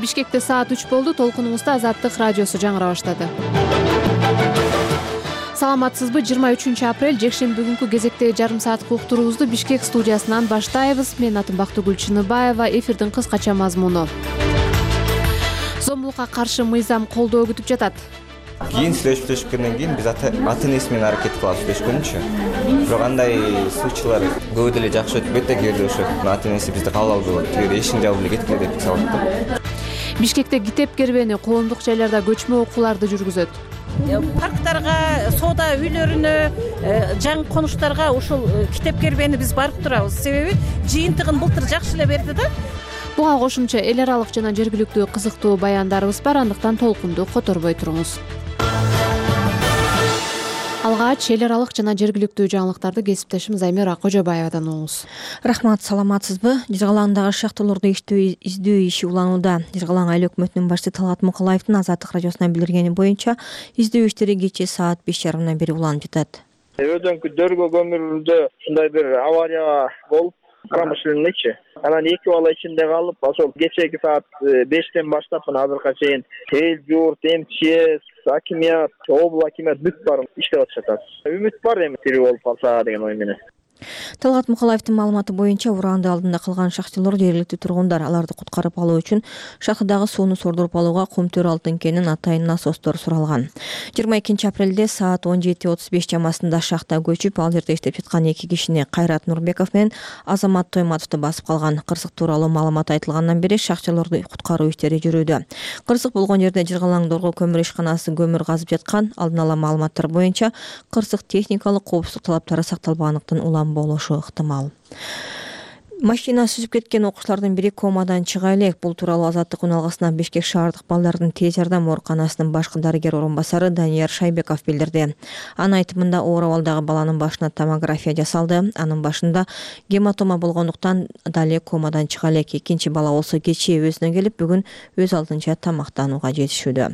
Бишкекте саат 3 болду. Толкунубузда Азаттык радиосу жаңыра баштады. Саламатсызбы? 23 апрель жекшемби күнкү кезектеги жарым сааттык уктуруубузду Бишкек студиясынан баштайбыз. Мен атым Бактыгүл Чыныбаева. Эфирдин кыскача мазмуну. Зомбулукка каршы мыйзам колдоо күтүп жатат. Кийин сүйлөшүп кийин биз ата-энеси менен аракет кылабыз сүйлөшкөнчү. Бирок андай случайлар көп деле жакшы өтпөйт да, кээде ошо ата-энеси бизди кабыл албай коет. Кээде эшигин жаап эле кеткиле деп салат да. Бишкекте китеп кербени коомдук жайларда көчмө окууларды жүргүзөт. Парктарга, соода үйлөрүнө, жаңы конуштарга ушул китеп кербени биз барып турабыз. Себеби жыйынтыгын былтыр жакшы эле берди да. Буга кошумча эл аралык жана жергиликтүү кызыктуу баяндарыбыз бар, андыктан толкунду которбой туруңуз. Алгач эл аралык жана жергиликтүү жаңылыктарды кесиптешим Займира Кожобаевадан угуңуз. Рахмат, саламатсызбы? Жыргалаңдагы шахталарды издөө иши уланууда. Жыргалаң айыл өкмөтүнүн башчысы Талгат Мукалаевдин Азаттык радиосуна билдиргени боюнча, издөө иштери кечээ саат 5:30 бери уланып жатат. Өдөнкү дөргө көмүрүлдө ушундай бир авария болуп, промышленныйчы. Анан 2 бала ичинде калып, ошол кечеги саат 5-тен баштап азыркыга чейин эл журт, МЧС, акимият, обл акимият бүт бар иштеп атышат. Үмүт бар эми тирүү болуп калса деген ой менен. Талгат Мукалаевдин маалыматы боюнча, ураанды алдында калган шахталар жергиликтүү тургундар аларды куткарып алуу үчүн шахтадагы сууну сордуруп алууга кум төр алтын кенин атайын насостор суралган. 22 апрелде саат 17:35 чамасында шахта көчүп, ал жерде иштеп жаткан 2 кишини Кайрат Нурбеков менен Азамат Тойматовду басып калган. Кырсык тууралуу маалымат айтылгандан бери шахталарды куткаруу иштери жүрүүдө. Кырсык болгон жерде Жыргалаң Дорго көмүр ишканасы көмүр казып жаткан. Алдын ала маалыматтар боюнча, кырсык техникалык коопсуздук талаптары сакталбагандыктан улам болушу ыктымал. Машина сүзүп кеткен окуучулардын бири комадан чыга элек. Бул тууралуу Азаттык үналгысына Бишкек шаардык балдардын тез жардам ооруканасынын башкы дарыгер орун басары Данияр Шайбеков билдирди. Анын айтымында, оор абалдагы баланын башына томография жасалды. Анын башында гематома болгондуктан дале комадан чыга элек. Экинчи бала болсо кечээ өзүнө келип, бүгүн өз алдынча тамактанууга жетишүүдө.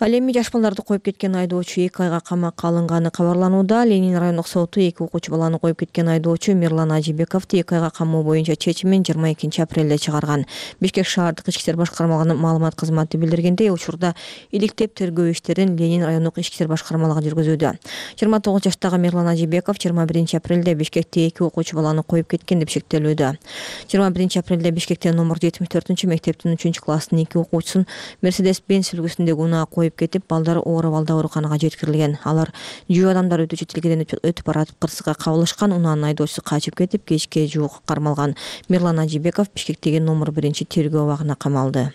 Ал эми жаш балдарды коюп кеткен айдоочу 2 айга камакка алынганы кабарланууда. Ленин райондук соту 2 окуучу баланы коюп кеткен айдоочу Мирлан Ажибековду 2 айга камоо боюнча чечимин 22 апрелде чыгарган. Бишкек шаардык ички иштер башкармалыгынын маалымат кызматы билдиргендей, учурда иликтеп тергөө иштерин Ленин райондук ички иштер башкармалыгы жүргүзүүдө. 29 жаштагы Мирлан Ажибеков 21 апрелде Бишкекте 2 окуучу баланы коюп кеткен деп шектелүүдө. 21 апрелде Бишкекте номер 74-мектептин 3-класстын 2 окуучусун Mercedes-Benz үлгүсүндөгү унаа коюп кетип, балдар оор абалда ооруканага жеткирилген. Алар жөө адамдар өтүүчү тилгеден өтүп баратып кырсыкка кабылышкан. Унаанын айдоочусу качып кетип, кечке жуук кармалган. Мирлан Ажибеков Бишкектеги номер 1 тергөө абагына камалды.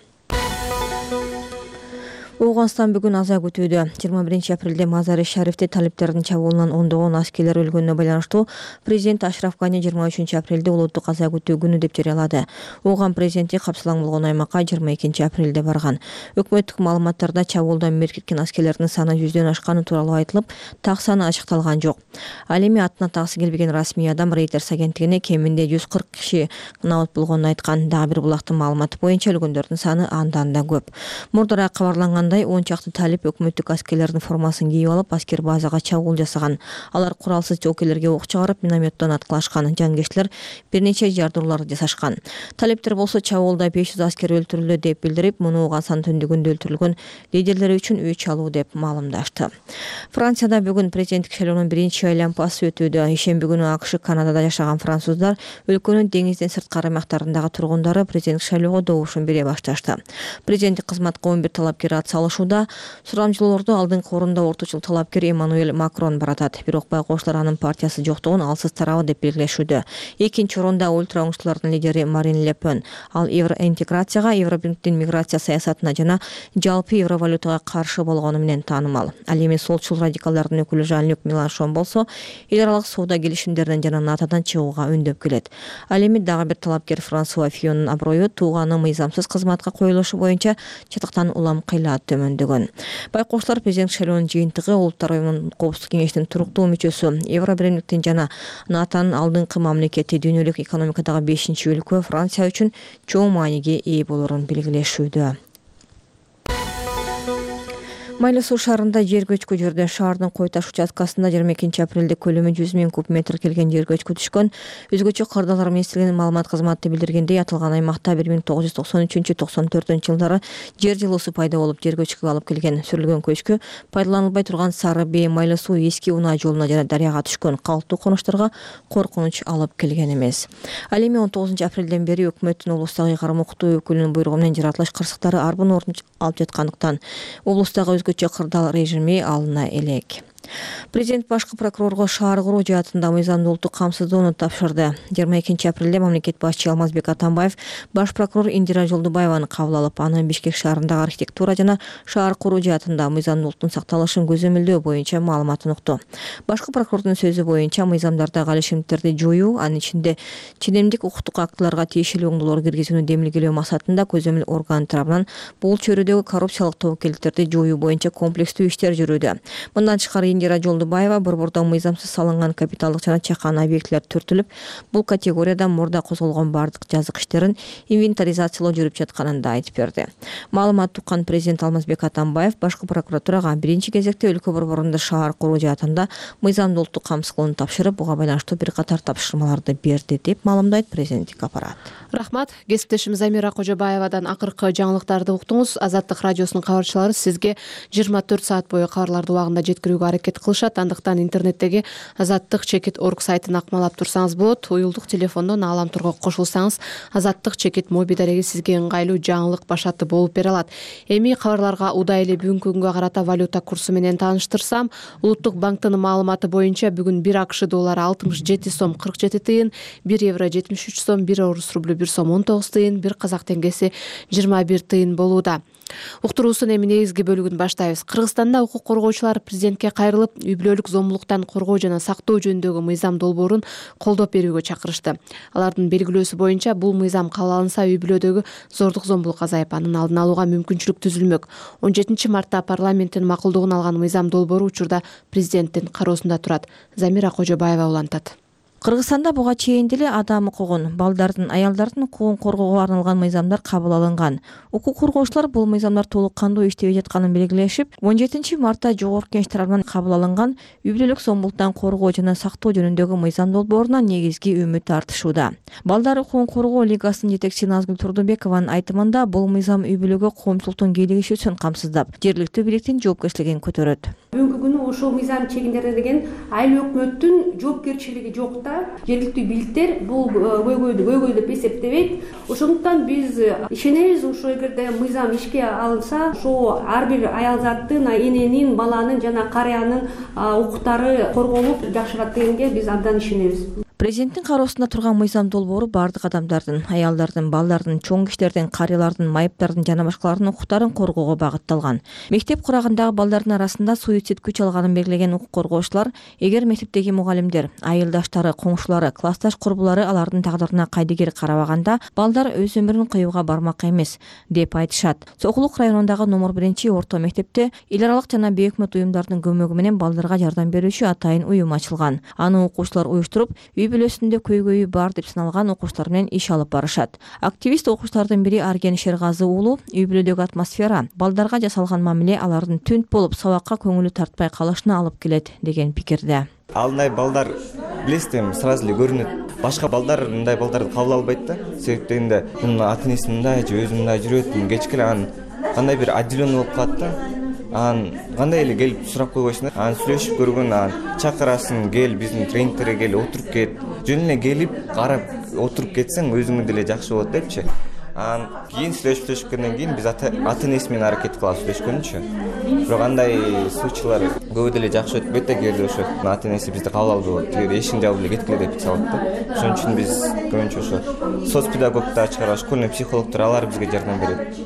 Оуганстан бүгүн аза күтүүдө. 21 апрелде Мазари Шарифте талиптердин чабуулунан ондогон аскерлер өлгөнүнө байланыштуу президент Ашраф Гани 23 апрелде улуттук аза күтүү күнү деп жарыялады. Ооган президенти капсалаң болгон аймакка 22 апрелде барган. Өкмөттүк маалыматтарда чабуулдан мерт кеткен аскерлердин саны 100дөн ашканы тууралуу айтылып, так саны ачыкталган жок. Ал эми атына таксы келбеген расмий адам Reuters агенттигине кеминде 140 киши набат болгонун айткан. Дагы бир булактын маалыматы боюнча өлгөндөрдүн саны андан да көп. Мурдара кабарланган 10 чакты талип өкмөттүк аскерлердин формасын кийип алып, аскер базага чабуул жасаган. Алар куралсыз жоокерлерге ок чыгарып, минометтон аткылашкан. Жангечлер бир нече жардуулар жасашкан. Талиптер болсо чабуулда 500 аскер өлтүрүлдү деп билдирип, муну Оуганстан түндүгүндө өлтүрүлгөн лидерлери үчүн өч алуу деп маалымдашты. Францияда бүгүн президенттик шайлоонун биринчи айлампасы өтүүдө. Ишемби күнү АКШ, Канадада жашаган француздар өлкөнүн деңизден сырткары аймактарындагы тургундары президенттик шайлоого добушун бере башташты. Президенттик кызматка 11 талапкер атсалышууда. Сурамжылоорду алдыңкы орунда орточул талапкер Эммануэль Макрон баратат. Бирок байкоочулар анын партиясы жоктугун алсыз тарабы деп белгилешүүдө. Экинчи орунда ультра оңчулардын лидери Марин Ле Пен. Ал евроинтеграцияга, Евробирдиктин миграция саясатына жана жалпы евровалютага каршы болгону менен таанымал. Ал эми солчул радикалдардын өкүлү Жан-Люк Меланшон болсо, эл аралык соода келишимдеринен жана НАТОдон чыгууга үндөп келет. Ал эми дагы бир талапкер Франсуа Фионун аброю тууганы мыйзамсыз кызматка коюлушу боюнча чатыктан улам кыйлаат төмөндөгөн. Байкоочулар президент шайлоонун жыйынтыгы Улуттар уюмунун коопсуздук кеңешинин туруктуу мүчөсү, Евробирдиктин жана НАТОнун алдыңкы мамлекети, дүйнөлүк экономикадагы 5-өлкө Франция үчүн чоң мааниге ээ болорун белгилешүүдө. Майлы Суу шаарында жер көчкү жүрдү. Шаардын Кой таш участкасында 22 апрелде көлөмү 100 000 куб метр келген жер көчкү түшкөн. Өзгөчө кырдаалар министрлигинин маалымат кызматы билдиргендей, аталган аймакта 1993-94 жылдары жер жылуусу пайда болуп, жер көчкүгө алып келген. Сүрүлгөн көчкү пайдаланылбай турган Сары Бей Майлы Суу эски унаа жолуна жана дарыяга түшкөн. Калктуу конуштарга коркунуч алып келген эмес. Ал эми 19 апрелден бери өкмөттүн облустагы ыйгарым укуктуу өкүлүнүн буйругу менен жаратылыш кырсыктары арбын орун алып жаткандыктан облустагы өзгөчө кырдаал режими алына элек. Президент башкы прокурорго шаар куруу жаатында мыйзамдуулукту камсыздоону тапшырды. 22 апрелде мамлекет башчы Алмазбек Атамбаев баш прокурор Индира Жолдубаеваны кабыл алып, аны Бишкек шаарындагы архитектура жана шаар куруу жаатында мыйзамдуулуктун сакталышын көзөмөлдөө боюнча маалыматын укту. Башкы прокурордун сөзү боюнча мыйзамдардагы алишимдиктерди жоюу, анын ичинде ченемдик укуктук актыларга тиешелүү оңдолор киргизүүнү демилгелөө максатында көзөмөл орган тарабынан бул чөйрөдөгү коррупциялык тобокелдиктерди жоюу боюнча комплекстүү иштер жүрүүдө. Мындан тышкары Индира Жолдубаева борбордо мыйзамсыз салынган капиталдык жана чакан объектилер төртүлүп, бул категорияда мурда козголгон бардык жазык иштерин инвентаризациялоо жүрүп жатканын да айтып берди. Маалымат уккан президент Алмазбек Атамбаев башкы прокуратурага биринчи кезекте өлкө борборунда шаар куруу жаатында мыйзамдуулукту камсыздоону тапшырып, буга байланыштуу бир катар тапшырмаларды берди деп маалымдайт президенттик аппарат. Рахмат. Кесиптешим Замира Кожобаевадан акыркы жаңылыктарды уктуңуз. Азаттык радиосунун кабарчылары сизге 24 саат бою кабарларды убагында жеткирүүгө аракет кылышат. Андыктан интернеттеги azattik.org сайтын акмалап турсаңыз болот. Уюлдук телефондон Ааламтурга кошулсаңыз, Azattik моби дареги сизге ыңгайлуу жаңылык башаты болуп бере алат. Эми кабарларга удай эле бүгүнкү күнгө карата валюта курсу менен тааныштырсам, Улуттук банктын маалыматы боюнча бүгүн 1 АКШ доллары 67 сом 47 тыйын, 1 евро 73 сом, 1 орус рублю 1 сом 19 тыйын, 1 казак теңгеси 21 тыйын болууда. Уктуруусунун эми негизги бөлүгүн баштайбыз. Кыргызстанда укук коргоочулар президентке кайрылып, үй-бүлөлүк зомбулуктан коргоо жана сактоо жөнүндөгү мыйзам долбоорун колдоп берүүгө чакырышты. Алардын белгилөөсү боюнча бул мыйзам кабыл алынса, үй-бүлөдөгү зордук зомбулук азайып, анын алдын алууга мүмкүнчүлүк түзүлмөк. 17 мартта парламенттин макулдугун алган мыйзам долбоору учурда президенттин кароосунда турат. Замира Кожобаева улантат. Кыргызстанда буга чейин деле адам укугун, балдардын, аялдардын укугун коргоого арналган мыйзамдар кабыл алынган. Укук коргоочулар бул мыйзамдар толук кандуу иштебей жатканын белгилешип, 17 мартта Жогорку Кеңеш тарабынан кабыл алынган үй-бүлөлүк зомбулуктан коргоо жана сактоо жөнүндөгү мыйзам долбооруна негизги үмүт артышууда. Балдар укугун коргоо лигасынын жетекчиси Назгүл Турдубекованын айтымында, бул мыйзам үй-бүлөгө коомчулуктун кийлигишүүсүн камсыздап, жергиликтүү бийликтин жоопкерчилигин көтөрөт. Бүгүнкү күнү ошол мыйзам чегиндеринде деген айыл өкмөттүн жоопкерчилиги жок да. Жергиликтүү бийликтер бул көйгөйдү деп эсептебейт. Ошондуктан биз ишенебиз, ошо эгерде мыйзам ишке алынса, ошо ар бир аял заттын, эненин, баланын жана карыянын укуктары корголуп жакшырат дегенге биз абдан ишенебиз. Президенттин кароосунда турган мыйзам долбоору бардык адамдардын, аялдардын, балдардын, чоң кишилердин, карыялардын, майыптардын жана башкалардын укуктарын коргоого багытталган. Мектеп курагындагы балдардын арасында суицид күч алганын белгилеген укук коргоочулар, эгер мектептеги мугалимдер, айылдаштары, коңшулары, классташ курбулары алардын тагдырына кайдыгер карабаганда, балдар өз өмүрүн кыюуга бармак эмес деп айтышат. Сокулук районундагы номер 1 орто мектепте эл аралык жана бейөкмөт уюмдардын көмөгү менен балдарга жардам берүүчү атайын уюм ачылган. Аны окуучулар уюштуруп, үй-бүлөсүндө көйгөйү бар деп саналган окуучулар менен иш алып барышат. Активист окуучулардын бири Арген Шергазы уулу, үй-бүлөдөгү атмосфера балдарга жасалган мамиле алардын түнт болуп сабакка көңүлү тартпай калышына алып келет деген пикирде. Алындай балдар билесиз, сразу эле көрүнөт. Башка балдар мындай балдарды кабыл албайт да. Себеп дегенде, мунун ата-энеси мындай же өзү мындай жүрөт, кечке эле кандай бир отделенный болуп калат да. Кандай эле келип сурап койбойсуң да. Сүйлөшүп көргөн, чакырасың, кел биздин тренингтерге кел, отуруп кет. Жөн эле келип, карап отуруп кетсең, өзүңө деле жакшы болот депчи. Кийин сүйлөшүпкөндөн кийин биз ата-энеси менен аракет кылабыз сүйлөшкөнчү. Бирок андай случайлар көп деле жакшы өтпөйт да, кээде ошо ата-энеси бизди кабыл албай, тиги эшиктин жабып эле кеткиле деп салат да. Ошон үчүн биз көбүнчө ошо соцпедагогдор чыгарып, школьный психологдор алар бизге жардам берет.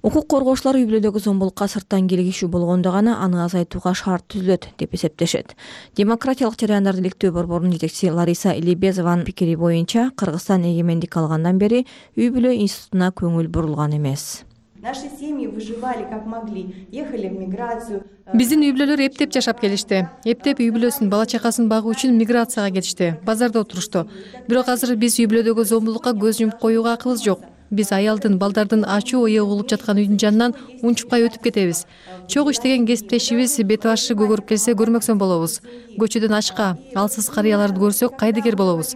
Укук коргоочулар үй-бүлөдөгү зомбулукка сырттан келгишүү болгондо гана аны азайтууга шарт түзүлөт деп эсептешет. Демократиялык жарандарды иликтөө борборунун жетекчиси Лариса Илибезованын пикири боюнча, Кыргызстан эгемендик алгандан бери үй-бүлө институтуна көңүл бурулган эмес. Наши семьи выживали как могли, ехали в миграцию. Биздин үй-бүлөлөр эптеп жашап келишти. Эптеп үй-бүлөсүн, бала чакасын багуу үчүн миграцияга кетишти. Базарда отурушту. Бирок азыр биз үй-бүлөдөгү зомбулукка көз жумуп коюуга акыбыз жок. Биз аялдын, балдардын ачуу ое угулуп жаткан үйдүн жанынан унчукпай өтүп кетебиз. Чогуу иштеген кесиптешибиз бет башы көгөрүп келсе көрмөксөн болобуз. Көчөдөн ачка, алсыз карыяларды көрсөк кайдыгер болобуз.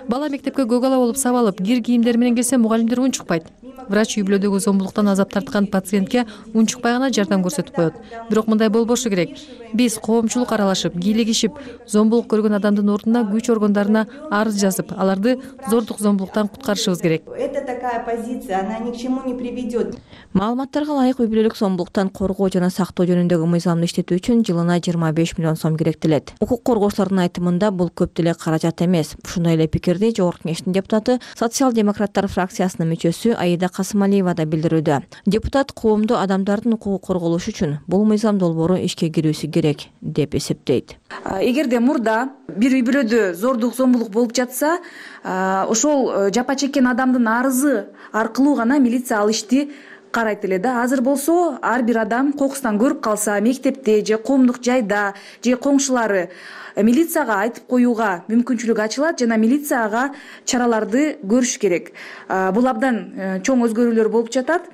Бала мектепке көгала болуп сабалып, кир кийимдер менен келсе мугалимдер унчукпайт. Врач үй бүлөдөгү зомбулуктан азап тарткан пациентке унчукпай гана жардам көрсөтүп коет. Бирок мындай болбошу керек. Биз коомчулук аралашып, кийлигишип, зомбулук көргөн адамдын ордуна күч органдарына арыз жазып, аларды зордук зомбулуктан куткарышыбыз керек. Это такая позиция, она ни к чему не приведет. Маалыматтарга ылайык үй бүлөлүк зомбулуктан коргоо жана сактоо жөнүндөгү мыйзамды иштетүү үчүн жылына 25 миллион сом керектелет. Укук коргоочулардын айтымында бул көп деле каражат эмес. Ушундай эле пикирди Жогорку Кеңештин депутаты, социал-демократтар фракциясынын мүчөсү Аида Касымалиева да билдирүүдө. Депутат коомдо адамдардын укугу корголушу үчүн бул мыйзам долбоору ишке кирүүсү керек деп эсептейт. Эгерде мурда бир үй бүлөдө зордук зомбулук болуп жатса, ошол жапа чеккен адамдын арызы аркылуу гана милиция ал ишти карайт эле да. Азыр болсо ар бир адам кокустан көрүп калса, мектепте же коомдук жайда же коңшулары милицияга айтып коюуга мүмкүнчүлүк ачылат жана милиция ага чараларды көрүш керек. Бул абдан чоң өзгөрүүлөр болуп жатат.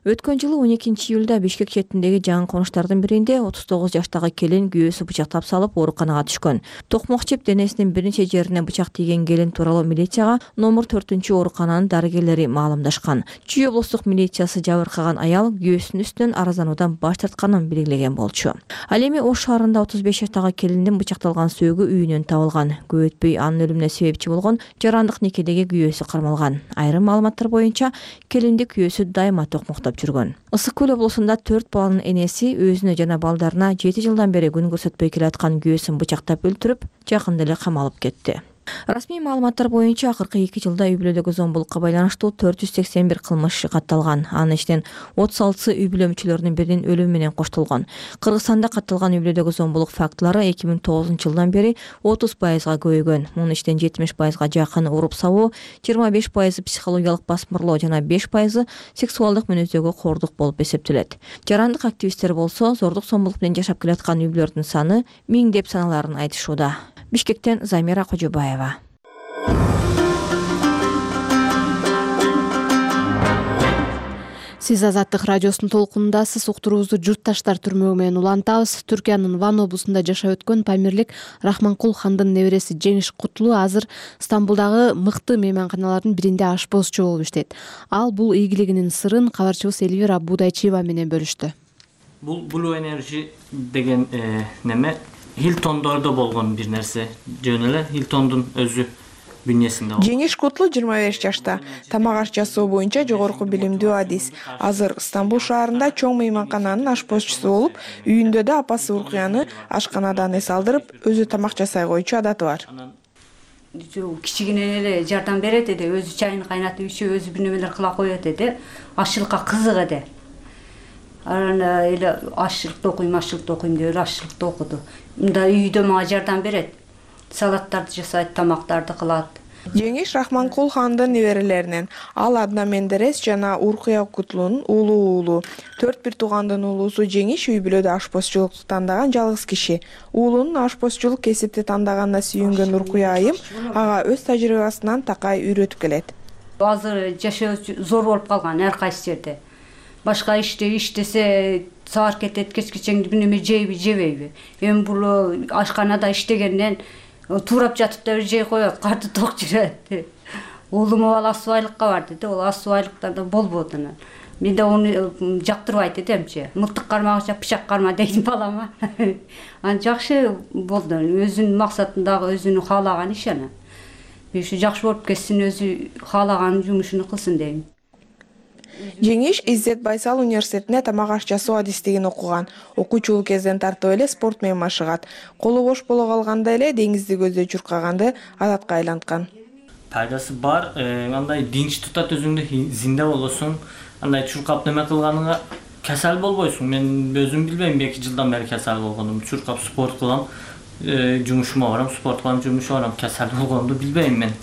Өткөн жылы 12 июлда Бишкек четиндеги жаңы конуштардын биринде 39 жаштагы келин күйөөсү бычактап салып ооруканага түшкөн. Токмок жеп денесинин бир нече жерине бычак тийген келин тууралуу милицияга номер 4 оорукананын дарыгерлери маалымдашкан. Чүй облустук милициясы жабыркаган аял күйөөсүнүн үстүнөн арыздануудан баш тартканын белгилеген болчу. Ал эми Ош шаарында 35 жаштагы келиндин бычакталган сөөгү үйүнөн табылган. Көп өтпөй анын өлүмүнө себепчи болгон жарандык некедеги күйөөсү кармалган. Айрым маалыматтар боюнча келинди күйөөсү дайыма токмоктоп жүргөн. Ысык Көл облусунда 4 баланын энеси өзүнө жана балдарына 7 жылдан бери күн көрсөтпөй келаткан күйөөсүн бычактап өлтүрүп, жакында эле камалып кетти. Расмий маалыматтар боюнча акыркы 2 жылда үй бүлөдөгү зомбулукка байланыштуу 481 кылмыш иши катталган. Анын ичинен 36 үй бүлө мүчөлөрүнүн биринин өлүмү менен коштолгон. Кыргызстанда катталган үй бүлөдөгү зомбулук фактылары 2009 жылдан бери 30%га көбөйгөн. Мунун ичинен 70%га жакын уруп сабоо, 25% психологиялык басмырлоо жана 5% сексуалдык мүнөздөгү кордук болуп эсептелет. Жарандык активисттер болсо зордук зомбулук менен жашап келаткан үй бүлөлөрдүн саны 1000 деп саналарын айтышууда. Бишкектен Замира Кожобаева. Сиз Азаттык радиосунун толкунундасыз. Уктуруубузду журтташтар түрмөгү менен улантабыз. Түркиянын Ван облусунда жашап өткөн Памирлик Рахманкул хандын небереси Жеңиш Кутлуу азыр Стамбулдагы мыкты мейманканалардын биринде ашпозчу болуп иштейт. Ал бул ийгилигинин сырын кабарчыбыз Элвира Будайчиева менен бөлүштү. Бул Blue Energy деген неме Хилтондордо болгон бир нерсе. Жөн эле Хилтондун өзү бүнөсүндө. Жеңиш Кутлуу 25 жашта. Тамак аш жасоо боюнча жогорку билимдүү адис. Азыр Стамбул шаарында чоң мейманкананын ашпозчусу болуп, үйүндө да апасы Уркуяны ашканадан эс алдырып, өзү тамак жасай койчу адаты бар. Кичигинен эле жардам берет эди, өзү чайын кайнатып ичип, өзү бир нерселер кыла коет эди. Ашчылыкка кызык эди. Арана эле ашчылыкты окуйм деп ашчылыкты окуду. Мында үйдө мага жардам берет. Салаттарды жасайт, тамактарды кылат. Жеңиш Рахманкул хандын неберелеринен. Ал Адна Мендерес жана Уркуя Кутлуунун уулу. 4 туугандын уулусу Жеңиш үй бүлөдө ашпозчулукту тандаган жалгыз киши. Уулунун ашпозчулук кесипти тандаганына сүйүнгөн Уркуя айым ага өз тажрыйбасынан такай үйрөтүп келет. Азыр жашоо зор болуп калган ар кайсы жерде. Башка иштесе саар кетет, кечкечең бир неме жейби, жебейби. Эми бул ашканада иштегенден туурап жатып да жей коет, карты ток жүрөт. Уулум ал асубайлыкка барды да, ол асубайлыктарда болбоду анан. Мен да аны жактырбайт эдимчи. Мылтык кармагыча пычак карма дейт балама. Аны жакшы болду. Өзүнүн максатындагы өзүнүн каалаган иш анан. Ушу жакшы болуп кетсин, өзү каалаган жумушун кылсын дейм. Жеңиш Иззет Байсал университетинде тамак аш жасоо адистигин окуган. Окуучулук кезден тартып эле спорт менен машыгат. Колу бош боло калганда эле деңизди көздөй чуркаганды адатка айланткан. Пайдасы бар, андай динч тутат, өзүңдү зинде болосуң. Андай чуркап неме кылганыңа касал болбойсуң. Мен өзүм билбейм, 2 жылдан бери касал болгондум. Чуркап спорт кылам, жумушума барам, спорт кылам, жумушума барам. Касал болгонду билбейм мен.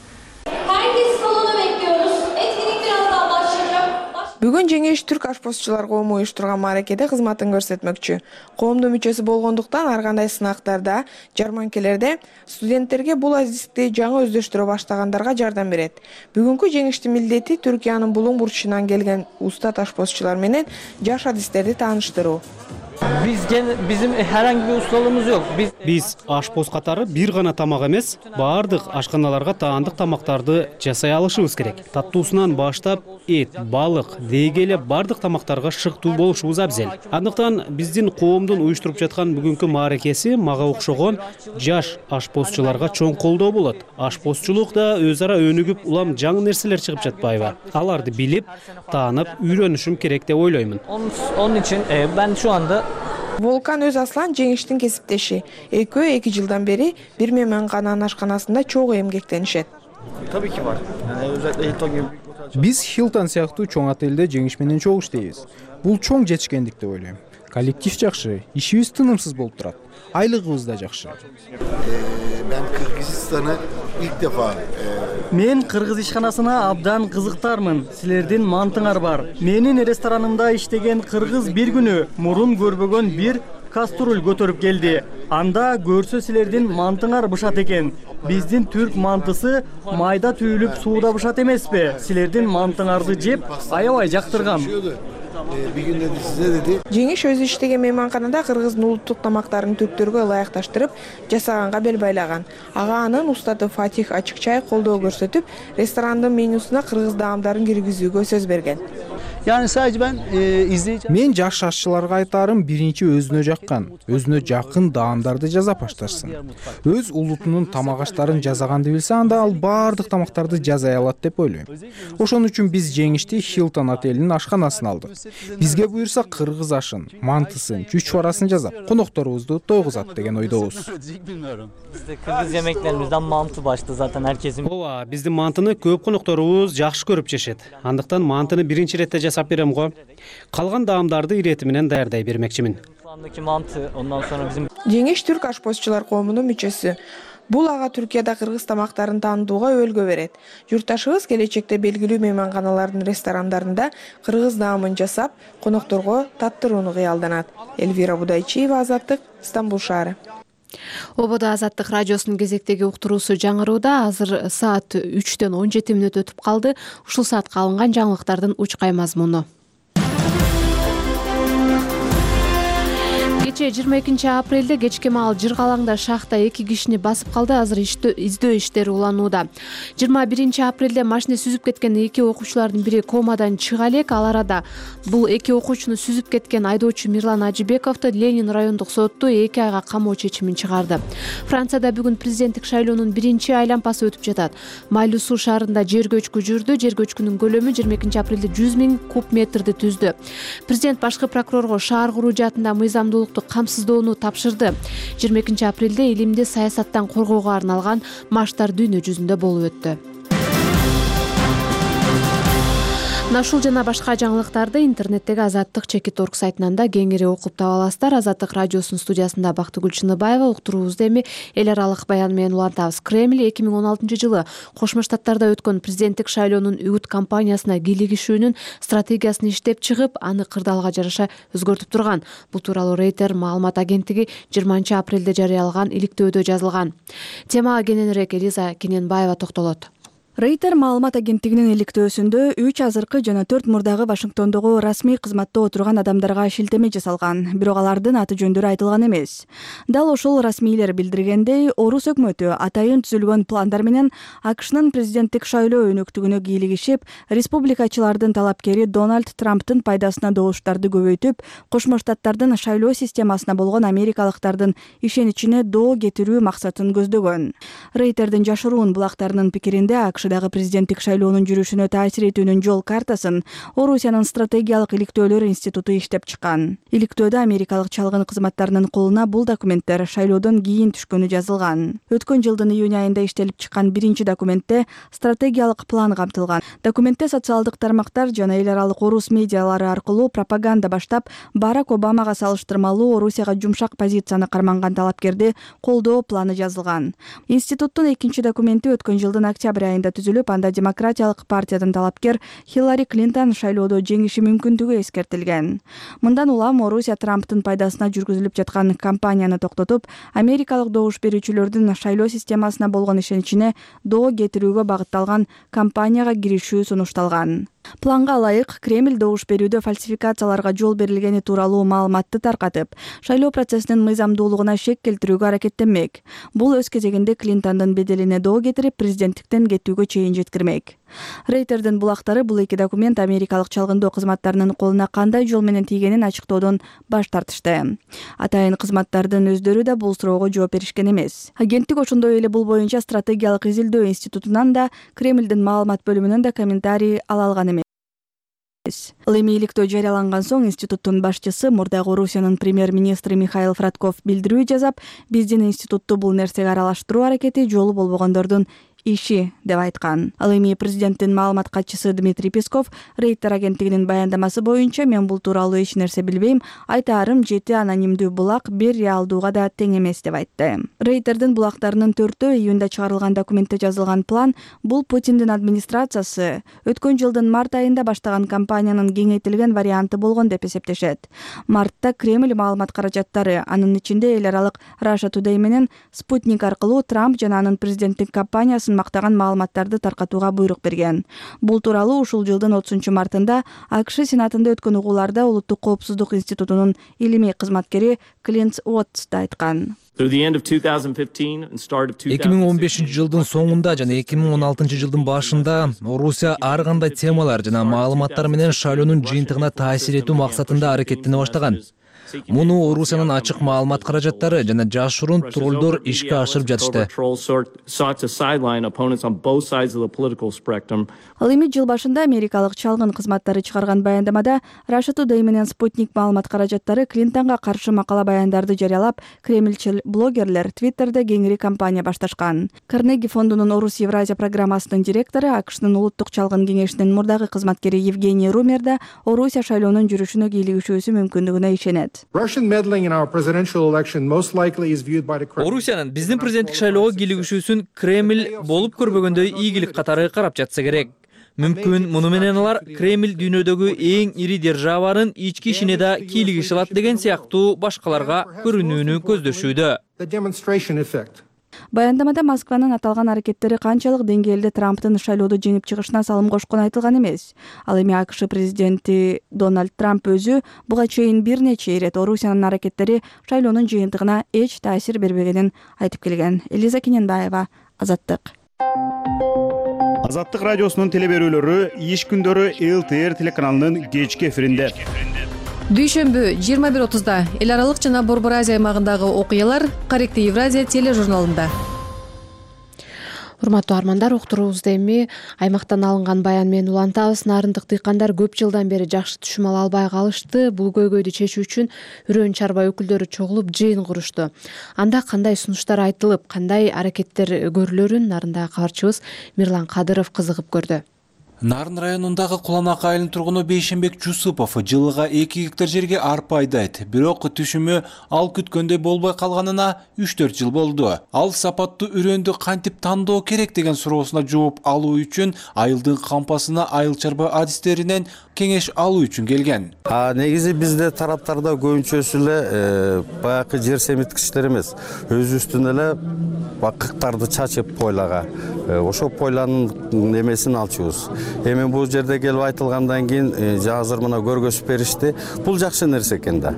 Бүгүн Жеңиш Түрк ашпозчулар коому уюштурган мааракеде кызматын көрсөтмөкчү. Коомдун мүчөсү болгондуктан ар кандай сынактарда, жарманкелерде студенттерге бул азиздикти жаңы өздөштүрө баштагандарга жардам берет. Бүгүнкү жеңиштин милдети Түркиянын булуң бурчунан келген устат ашпозчулар менен жаш адистерди тааныштыруу. Bizim herhangi bir ustalığımız yok. Biz aşpoz катары бир гана тамак эмес, баардык ашканаларга таандык тамактарды жасай алышыбыз керек. Таттуусунан баштап эт, балык, дегеле баардык тамактарга шыктуу болушубуз абзел. Андыктан биздин коомдун уюштуруп жаткан бүгүнкү мааракеси мага окшогон жаш ашпозчуларга чоң колдоо болот. Ашпозчулук да өз ара өнүгүп, улам жаңы нерселер чыгып жатпайбы? Аларды билип, таанып, үйрөнүшүм керек деп ойлоймун. Onun için ben şu anda Волкан өз Аслан Жеңиштин кесиптеши. Экөө 2 жылдан бери бир мейманкананын ашканасында чогуу эмгектенишет. Tabii ki var. Yani özellikle Hilton gibi Биз Hilton сыяктуу чоң отелде Жеңиш менен чогуу иштейбиз. Бул чоң жетишкендик деп ойлойм. Коллектив жакшы, ишибиз тынымсыз болуп турат. Айлыгыбыз да жакшы. Ben Kırgızistan'ı ilk defa Men Kırgız ишканасына абдан кызыктармын. Силердин мантыңар бар. Менин ресторанымда иштеген кыргыз бир күнү мурун көрбөгөн бир каструль көтөрүп келди. Анда көрсө силердин мантыңар бышат экен. Биздин түрк мантысы майда түйүлүп сууда бышат эмеспи? Силердин мантыңарды жеп аябай жактыргам. bir gün dedi size dedi. Жеңиш өзү иштеген мейманканада кыргыздын улуттук тамактарын түрктөргө ылайыкташтырып жасаганга бел байлаган. Ага анын устаты Фатих Ачыкчай колдоо көрсөтүп, ресторандын менюсуна кыргыз даамдарын киргизүүгө сөз берген. Yani sadece ben izleyici... Мен жаш ашчыларга айтарым биринчи өзүнө жакын даамдарды жасап башташсын. Өз улутунун тамак аштарын жасаганды билсе, анда ал баардык тамактарды жасай алат деп ойлойм. Ошон үчүн биз Жеңишти Hilton отелинин ашканасына алдык. Бизге буюрса кыргыз ашын, мантысын, чүчварасын жасап, конокторубузду тойгузат деген ойдобуз. Bizde Kırgız yemeklerimizden mantı başta zaten herkesin. Ооба, биздин мантыны көп конокторубуз жакшы көрүп жешет. Андыктан мантыны биринчи иретте жасап берем го. Калган даамдарды ирети менен даярдай бермекчимин. Жеңиш Түрк ашпозчулар коомунун мүчөсү. Бул ага Түркияда кыргыз тамактарын таанытууга өлгө берет. Журтташыбыз келечекте белгилүү мейманканалардын ресторандарында кыргыз даамын жасап, конокторго таттырууну кыялданат. Эльвира Будайчиева, Азаттык, Стамбул шаары. Ободо Азаттык радиосунун кезектеги уктуруусу жаңырууда. Азыр саат 3-төн 17 мүнөт өтүп калды. Ушул саатка алынган жаңылыктардын учкай мазмуну. Кечээ 22-апрелде кечки маал Жыргалаңда шахта 2 кишини басып калды. Азыр издөө иштери уланууда. 21-апрелде машина сүзүп кеткен 2 окуучулардын бири комадан чыга элек. Ал арада бул 2 окуучуну сүзүп кеткен айдоочу Мирлан Ажибековду Ленин райондук соту 2 айга камоо чечимин чыгарды. Францияда бүгүн президенттик шайлоонун биринчи айлампасы өтүп жатат. Майлуу шаарында жер көчкү жүрдү. Жер көчкүнүн көлөмү 22-апрелде 100 000 куб метрди түздү. Президент башкы прокурорго шаар куруу жаатында мыйзамдуулукту камсыздоону тапшырды. 22-апрелде элимди саясаттан коргоого арналган марштар дүйнө жүзүндө болуп өттү. Ушул жана башка жаңылыктарды интернеттеги azattik.org сайтынан да кеңири окуп таба аласыздар. Азаттык радиосунун студиясында Бактыгүл Чыныбаева, уктуруубузду эми эл аралык баян менен улантабыз. Кремль 2016-жылы Кошмо Штаттарда өткөн президенттик шайлоонун үгүт кампаниясына кийлигишүүнүн стратегиясын иштеп чыгып, аны кырдаалга жараша өзгөртүп турган. Бул тууралуу Рейтер маалымат агенттиги 20-апрелде жарыялаган иликтөөдө жазылган. Темага кененирээк Элиза Кененбаева токтолот. Рейтер маалымат агенттигинин иликтөөсүндө 3 азыркы жана 4 мурдагы Вашингтондогу расмий кызматта отурган адамдарга шилтеме жасалган, бирок алардын аты жөндөрү айтылган эмес. Дал ошол расмийлер билдиргендей, орус өкмөтү атайын түзүлгөн пландар менен АКШнын президенттик шайлоо өнөктүгүнө кийлигишип, республикачылардын талапкери Дональд Трамптын пайдасына добуштарды көбөйтүп, Кошмо Штаттардын шайлоо системасына болгон америкалыктардын ишеничине доо кетирүү максатын көздөгөн. Рейтердин жашыруун булактарынын пикиринде АКШдагы президенттик шайлоонун жүрүшүнө таасир этүүнүн жол картасын Орусиянын стратегиялык иликтөөлөр институту иштеп чыккан. Иликтөөдө америкалык чалгын кызматтарынын колуна бул документтер шайлоодон кийин түшкөнү жазылган. Өткөн жылдын июнь айында иштелип чыккан биринчи документте стратегиялык план камтылган. Документте социалдык тармактар жана эл аралык орус медиалары аркылуу пропаганда баштап, Барак Обамага салыштырмалуу Орусияга жумшак позицияны карманган талапкерди колдоо планы жазылган. Институттун экинчи документи өткөн жылдын октябрь айында түзүлүп, анда Демократиялык партиядан талапкер Хиллари Клинтон шайлоодо жеңиши мүмкүндүгү эскертилген. Мындан улам Орусия Трамптын пайдасына жүргүзүлүп жаткан кампанияны токтотуп, америкалык добуш берүүчүлөрдүн шайлоо системасына болгон ишеничине доо кетирүүгө багытталган кампанияга киришүү сунушталган. Планга ылайык Кремль добуш берүүдө фальсификацияларга жол берилгени тууралуу маалыматты таркатып, шайлоо процессинин мыйзамдуулугуна шек келтирүүгө аракеттенмек. Бул өз кезегинде Клинтондун беделине доо кетирип, президенттиктен кетүүгө чейин жеткирмек. Рейтердин булактары бул эки документ америкалык чалгындоо кызматтарынын колуна кандай жол менен тийгенин ачыктоодон баш тартышты. Атайын кызматтардын өздөрү да бул суроого жооп беришкен эмес. Агенттик ошондой эле бул боюнча стратегиялык изилдөө институтунан да, Кремлдин маалымат бөлүмүнөн да комментарий ала алган эмес. Ал эми иликтөө жарыяланган соң институттун башчысы, мурдагы Орусиянын премьер-министри Михаил Фродков билдирүү жасап, биздин институтту бул нерсеге аралаштыруу аракети жолу болбогондордун иши деп айткан. Ал эми президенттин маалымат катчысы Дмитрий Песков Рейтер агенттигинин баяндамасы боюнча, мен бул тууралуу эч нерсе билбейм, айтаарым 7 анонимдүү булак бир реалдууга да тең эмес деп айтты. Рейтердин булактарынын 4-өө июнда чыгарылган документте жазылган план бул Путиндин администрациясы өткөн жылдын март айында баштаган кампаниянын кеңейтилген варианты болгон деп эсептешет. Мартта Кремль маалымат каражаттары, анын ичинде эл аралык Russia Today менен Спутник аркылуу Трамп жана анын президенттик кампаниясын мактаган маалыматтарды таркатууга буйрук берген. Бул тууралуу ушул жылдын 30 мартында АКШ Сенатында өткөн угууларда Улуттук коопсуздук институтунун илимий кызматкери Клинт Уотс айткан. 2015 жылдын соңунда жана 2016 жылдын башында Орусия ар кандай темалар жана маалыматтар менен шайлоонун жыйынтыгына таасир этүү максатында аракеттене баштаган. Муну Орусиянын ачык маалымат каражаттары жана жашыруун троллдор ишке ашырып жатышты. Ал эми жыл башында америкалык чалгын кызматтары чыгарган баяндамада Russia Today менен Спутник маалымат каражаттары Клинтонго каршы макала баяндарды жарыялап, кремльчил блогерлер Твиттерде кеңири кампания башташкан. Карнеги фондунун Орус Евразия программасынын директору, АКШнын улуттук чалгын кеңешинин мурдагы кызматкери Евгений Румер да Орусия шайлоонун жүрүшүнө кийлигишүүсү мүмкүндүгүнө ишенет. Орусиянын биздин президенттик шайлоого кийлигишүүсүн Кремль болуп көрбөгөндөй ийгилик катары карап жатса керек. Мүмкүн муну менен алар Кремль дүйнөдөгү эң ири державанын ички ишине да кийлигише алат деген сыяктуу башкаларга көрүнүүнү көздөшүүдө. Баяндамада Москванын аталган аракеттери канчалык деңгээлде Трамптын шайлоодо жеңип чыгышына салым кошкону айтылган эмес. Ал эми АКШ президенти Дональд Трамп өзү буга чейин бир нече ирет Орусиянын аракеттери шайлоонун жыйынтыгына эч таасир бербегенин айтып келген. Элиза Кененбаева, Азаттык. Азаттык радиосунун теле берүүлөрү иш күндөрү ЛТР телеканалынын кечки эфиринде. Дүйшөмбү 21:30 эл аралык жана Борбор Азия аймагындагы окуялар Корректив Евразия тележурналында. Урматтуу армандар, уктуруубузду эми аймактан алынган баян менен улантабыз. Нарындык дыйкандар көп жылдан бери жакшы түшүм ала албай калышты. Бул көйгөйдү чечүү үчүн үрөөн чарба өкүлдөрү чогулуп жыйын курушту. Анда кандай сунуштар айтылып, кандай аракеттер көрүлөрүн нарындагы кабарчыбыз Мирлан Кадыров кызыгып көрдү. Нарын районундагы Куланак айылынын тургуну Бейшенбек Жусупов жылыга 2 гектар жерге арпа айдайт. Бирок түшүмү ал күткөндөй болбой калганына 3-4 жыл болду. Ал сапаттуу үрөндү кантип тандоо керек деген суроосуна жооп алуу үчүн айылдын кампасына айыл чарба адистеринен кеңеш алуу үчүн келген. Негизи бизде тараптарда көбүнчөсү эле баягы жер семиткичтер эмес, өзүбүздүн эле бакыктарды чачып пойлага, ошо пойланын немесин алчубуз. Эми бул жерде келип айтылгандан кийин азыр мына көргөзүп беришти. Бул жакшы нерсе экен да.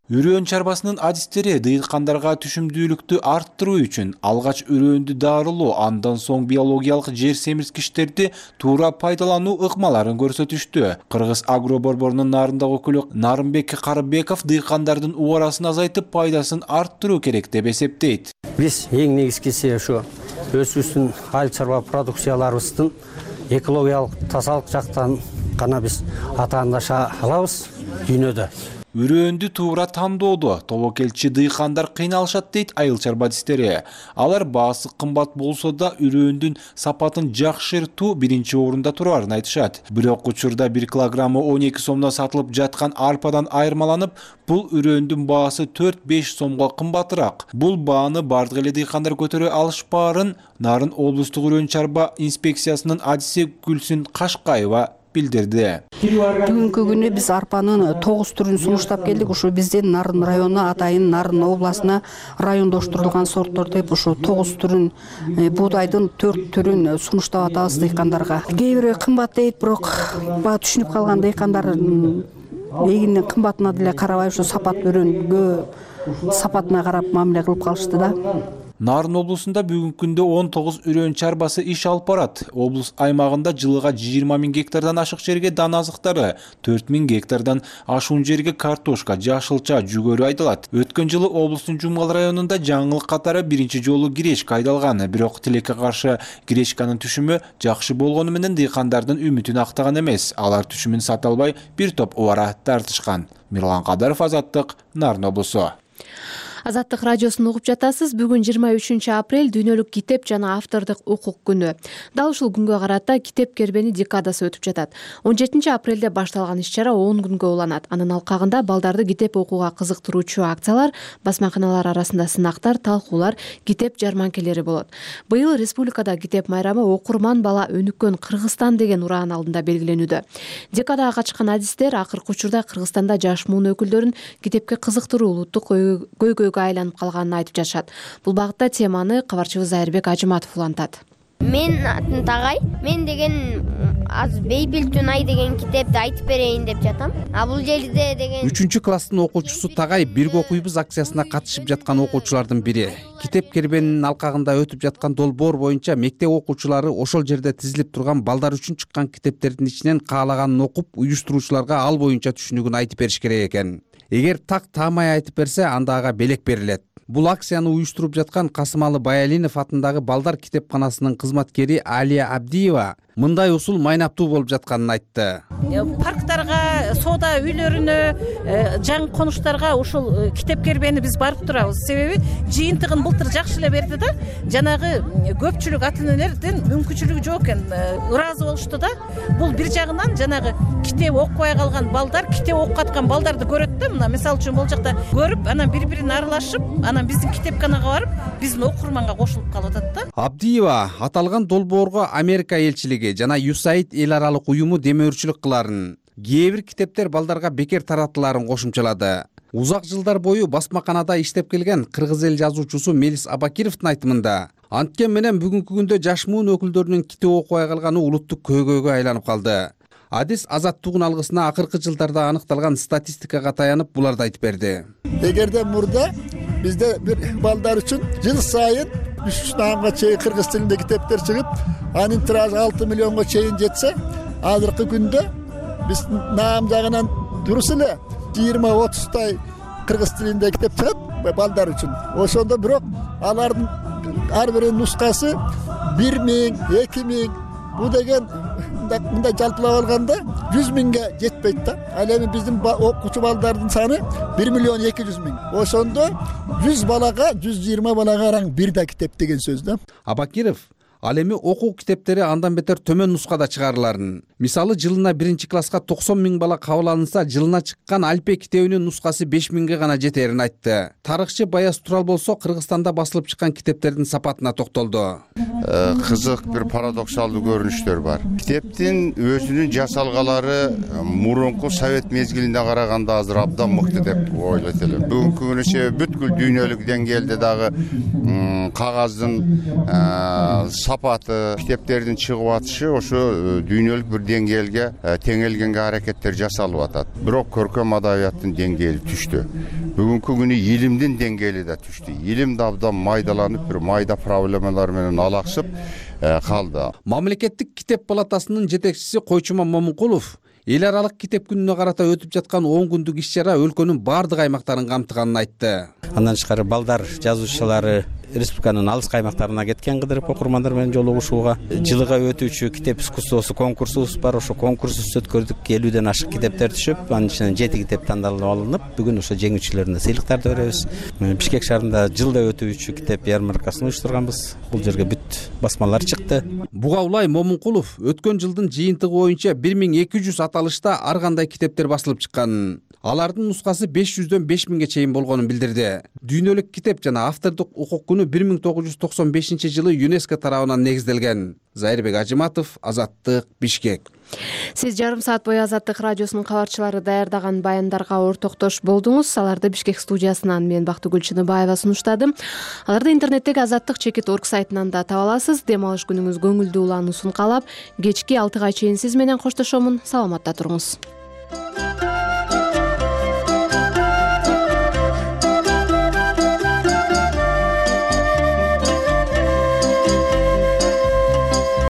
Үрөөн чарбасынын адистери дыйкандарга түшүмдүүлүктү арттыруу үчүн алгач үрөөндү дарылоо, андан соң биологиялык жер семирткичтерди туура пайдалануу ыкмаларын көрсөтүштү. Кыргыз Агро борборунун нарындагы өкүлү Нарымбек Карыбеков дыйкандардын убарасын азайтып, пайдасын арттыруу керек деп эсептейт. Биз эң негизгиси ошо өзүбүздүн айыл чарба продукцияларыбыздын экологиялык тазалык жактан гана биз атаандаша алабыз дүйнөдө. Үрөөндү туура тандоодо тобокелчи дыйкандар кыйналышат дейт айыл чарбадистери. Алар баасы кымбат болсо да үрөөндүн сапатын жакшыртуу биринчи орунда турарын айтышат. Бирок учурда 1 килограммы 12 сомдон сатылып жаткан арпадан айырмаланып, бул үрөөндүн баасы 4-5 сомго кымбатыраак. Бул бааны бардык эле дыйкандар көтөрө алышпаарын Нарын облустук үрөөн чарба инспекциясынын адиси Гүлсүн Кашкаева билдирди. Бүгүнкү күнү биз арпанын 9 түрүн сунуштап келдик. Ушу биздин Нарын району, атайын Нарын областына райондоштурулган сорттор деп ушу 9 түрүн, буудайдын 4 түрүн сунуштап атабыз дыйкандарга. Кээ бири кымбат дейт, бирок баа түшүнүп калган дыйкандар эгиндин кымбатына деле карабай ушу сапат өрөнгө сапатына карап мамиле кылып калышты да. Нарын облусунда бүгүнкү күндө 19 үрөөн чарбасы иш алып барат. Облус аймагында жылыга 20 000 гектардан ашык жерге дан азыктары, 4 000 гектардан ашуун жерге картошка, жашылча, жүгөрү айдалат. Өткөн жылы облустун Жумгал районунда жаңылык катары биринчи жолу гречка айдалган. Бирок тилекке каршы гречканын түшүмү жакшы болгону менен дыйкандардын үмүтүн актаган эмес. Алар түшүмүн сата албай бир топ убара тартышкан. Мирлан Кадаров, Азаттык, Нарын облусу. Азаттык радиосун угуп жатасыз. Бүгүн 23 апрель дүйнөлүк китеп жана автордук укук күнү. Дал ушул күнгө карата китеп кербени декадасы өтүп жатат. 17 апрелде башталган иш-чара 10 күнгө уланат. Анын алкагында балдарды китеп окууга кызыктыруучу акциялар, басмаканалар арасында сынактар, талкуулар, китеп жарманкелери болот. Быйыл республикада китеп майрамы окурман бала өнүккөн Кыргызстан деген ураан алдында белгиленүүдө. Декадага качкан адистер акыркы учурда Кыргызстанда жаш муун өкүлдөрүн китепке кызыктыруу улуттук көйгөйгө айланып калганын айтып жатышат. Бул багытта теманы кабарчыбыз Айырбек Ажыматов улантат. Мен атын Тагай. Мен деген аз Бейбилтунай деген китепти айтып берейин деп жатам. А бул жерде деген 3-класстын окуучусу Тагай бирге окуйбуз акциясына катышып жаткан окуучулардын бири. Китеп кербенинин алкагында өтүп жаткан долбоор боюнча мектеп окуучулары ошол жерде тизилип турган балдар үчүн чыккан китептердин ичинен каалаганын окуп, уюштуруучуларга ал боюнча түшүнүгүн айтып бериш керек экен. Эгер так таамай айтып берсе, анда ага белек берилет. Бул акцияны уюштуруп жаткан Касымалы Баялинов атындагы балдар китепканасынын кызматкери Алия Абдиева мындай усул майнаптуу болуп жатканын айтты. Парктарга, соода үйлөрүнө, жаңы конуштарга ушул китеп кербени биз барып турабыз. Себеби жыйынтыгын былтыр жакшы эле берди да, жанагы көпчүлүк ата-энелердин мүмкүнчүлүгү жок экен, ыраазы болушту да. Бул бир жагынан жанагы китеп окубай калган балдар, китеп окуп аткан балдарды көрөт да, мына мисалы үчүн бул жакта көрүп, анан бири-бирин аралашып, анан биздин китепканага барып, биздин окурманга кошулуп калып атат да. Абдиева аталган долбоорго Америка элчилиги жана USAID эл аралык уюму демөөрчүлүк кыларын. Кээ бир китептер балдарга бекер таратыларын кошумчалады. Узак жылдар бою басмаканада иштеп келген кыргыз эл жазуучусу Мелис Абакировдун айтымында, анткен менен бүгүнкү күндө жаш муун өкүлдөрүнүн китеп окубай калганы улуттук көйгөйгө айланып калды. Адис Азаттыгын алгысына акыркы жылдарда аныкталган статистикага таянып буларды айтып берди. Эгерде мурда бизде бир балдар үчүн жыл сайын 3 наамга чейин кыргыз тилинде китептер чыгып, анын тиражы 6 миллионго чейин жетсе, азыркы күндө биз наам жагынан дурус эле 20-30 кыргыз тилинде китеп чыгат балдар үчүн. Ошондо бирок алардын ар биринин нускасы 1000, 2000, бул деген мындай жалпылап алганда 100 000ге жетпейт да. Ал эми биздин окуучу балдардын саны 1 200 000. Ошондо 100 балага, 120 балага араң бир да китеп деген сөз да. Абакиров ал эми окуу китептери андан бетер төмөн нускада чыгарыларын. Мисалы жылына 1-класска 90 000 бала кабыл алынса, жылына чыккан Альпе китебинин нускасы 5 000ге гана жетерин айтты. Тарыхчы Баяз Турал болсо Кыргызстанда басылып чыккан китептердин сапатына токтолду. Кызык бир парадоксалдуу көрүнүштөр бар. Китептин өзүнүн жасалгалары мурунку совет мезгилине караганда азыр абдан мыкты деп ойлойт элем. Бүгүнкү күнү бүткүл дүйнөлүк деңгээлде дагы кагаздын сапаты, китептердин чыгып атышы ошо дүйнөлүк бир деңгээлге теңелгенге аракеттер жасалып атат. Бирок көркөм адабияттын деңгээли түштү. Бүгүнкү күнү илимдин деңгээли да түштү. Илим да абдан майдаланып, бир майда проблемалар менен алаксып калды. Мамлекеттик китеп палатасынын жетекчиси Койчуман Момункулов эл аралык китеп күнүнө карата өтүп жаткан 10 күндүк иш-чара өлкөнүн бардык аймактарын камтыганын айтты. Андан тышкары балдар жазуучулары республиканын алыскы аймактарына кеткен кыдырып окурмандар менен жолугушууга. Жылыга өтүүчү китеп искусствосу конкурсубуз бар. Ошо конкурсубузду өткөрдүк. 50ден ашык китептер түшүп, анын ичинен 7 китеп тандалып алынып, бүгүн ошо жеңүүчүлөрүнө сыйлыктарды беребиз. Бишкек шаарында жылда өтүүчү китеп ярмаркасын уюштурганбыз. Бул жерге бүт басмалар чыкты. Бугаулай Момункулов өткөн жылдын жыйынтыгы боюнча 1200 аталышта ар кандай китептер басылып чыккан. Алардын нускасы 500дөн 5000ге чейин болгонун билдирди. Дүйнөлүк китеп жана автордук укук күнү 1995-жылы ЮНЕСКО тарабынан негизделген. Зайырбек Ажыматов, Азаттык, Бишкек. Сиз жарым саат бою Азаттык радиосунун кабарчылары даярдаган баяндарга ортоктош болдуңуз. Аларды Бишкек студиясынан мен Бактыгүл Чыныбаева сунуштадым. Аларды интернеттеги Азаттык.org сайтынан да таба аласыз. Дем алыш күнүңүз көңүлдүү улануусун каалап, кечки 6га чейин сиз менен коштошомун. Саламатта туруңуз.